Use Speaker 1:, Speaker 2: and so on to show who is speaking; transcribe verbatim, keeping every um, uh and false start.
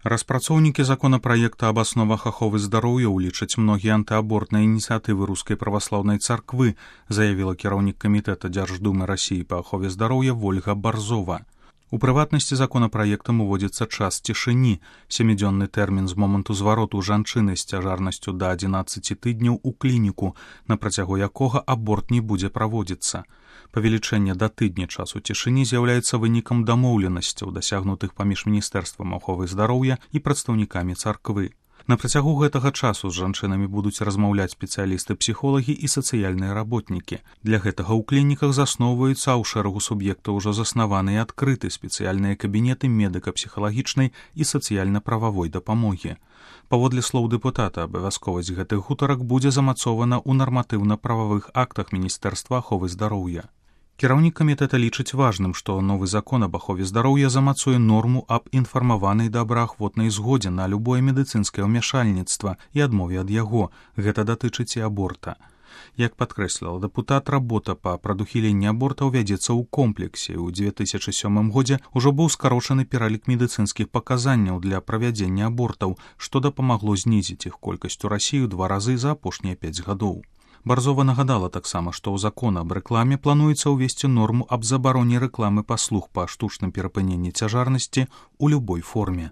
Speaker 1: Распрацоўнікі законапраекта аб асновах аховы здароўя ўлічаць многія антыабортныя ініцыятывы рускай праваслаўнай царквы, заявіла кіраўнік камітэта Дзярждумы Расіі па ахове здароўя Вольга Барзова. У прыватнасці законапраектам уводзіцца час цішыні, сямідзённы тэрмін з моманту звароту жанчыны з цяжарнасцю да адзінаццаці тыдняў у клініку, на працягу якога аборт не будзе праводзіцца. Павелічэнне да тыдня часу цішыні з'яўляецца вынікам дамоўленасцяў, дасягнутых паміж міністэрствам аховы здароўя і прадстаўнікамі царквы. На працягу гэтага часу з жанчынамі будуць размаўляць спецыялісты-псіхолагі і сацыяльныя работнікі. Для гэтага ў клініках засноўваюцца, а ў шэрагу суб'ектаў ужо заснаваны і адкрыты спецыяльныя кабінеты медыка-псіхалагічнай і сацыяльна-прававой дапамогі. Паводле слоў дэпутата, абавязковасць гэтых гутарак будзе замацована ў нарматыўна-прававых актах Міністэрства аховы здароўя. Кіраўнік камітэта лічыць важным, што новы закон аб ахове здароўя замацуе норму аб інфармаванай добраахвотнай згодзе на любое медыцынскае ўмяшальніцтва і адмове ад яго. Гэта датычыць і аборта. Як падкрэсліла дэпутат, работа па прадухіленні абортаў вядзецца ў комплексе. У дзве тысячы сёмым годзе ўжо быў скарочаны пералік медыцынскіх паказанняў для правядзення абортаў, што дапамагло знізіць іх колькасць у Расіі ў два разы за апошнія пяць гадоў. Барзова нагадала таксама, што ў закон аб рэкламе плануецца ўвесці норму аб забароне рэкламы паслуг па штучным перапыненні цяжарнасці ў любой форме.